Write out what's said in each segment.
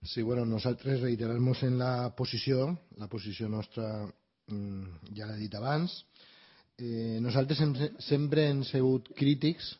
Sí, bueno, nosaltres reiterar-nos en la posició nostra ja l'he dit abans. Nosaltres sempre hem sigut crítics,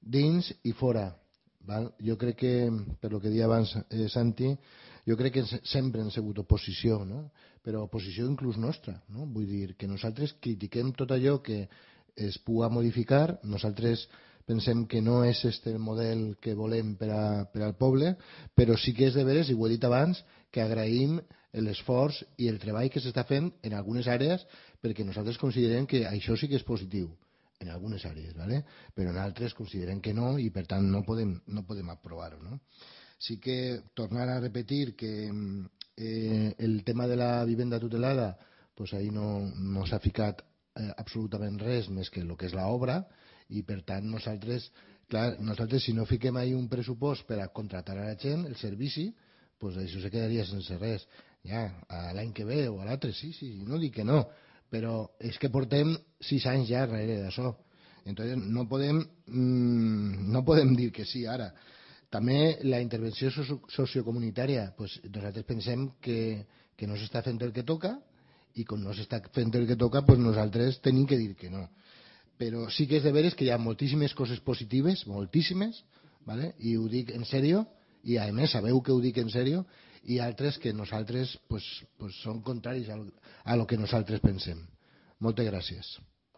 dins i fora. Val? Jo crec que, per lo que deia abans Santi, jo crec que sempre hem sigut oposició, no? Però oposició inclús nostra. No? Vull dir que nosaltres critiquem tot allò que es pugui modificar, nosaltres pensem que no és este el model que volem per al poble, però sí que és de veres, i ho he dit abans, que agraïm l'esforç i el treball que s'està fent en algunes àrees perquè nosaltres considerem que això sí que és positiu en algunes àrees, ¿vale? Però en altres considerem que no i per tant no podem aprovar-ho. No? Sí que tornar a repetir que el tema de la vivenda tutelada, pues ahí no s'ha ficat absolutament res més que el que és l'obra i per tant nosaltres si no fiquem ahí un pressupost per a contratar a la gent el servici, pues això se quedaria sense res ja, l'any que ve o a l'altre, sí, no dic que no, però és que portem 6 anys ja darrere d'això. Entonces no podem dir que sí ara. També la intervenció sociocomunitària, pues nosaltres pensem que no s'està fent el que toca i com no s'està fent el que toca, pues nosaltres tenim que dir que no. Però sí que és de veres que hi ha moltíssimes coses positives, moltíssimes, ¿vale? I ho dic en sèrio, i a més sabeu que ho dic en sèrio, i altres que nosaltres pues són contraris a lo que nosaltres pensem. Moltes gràcies.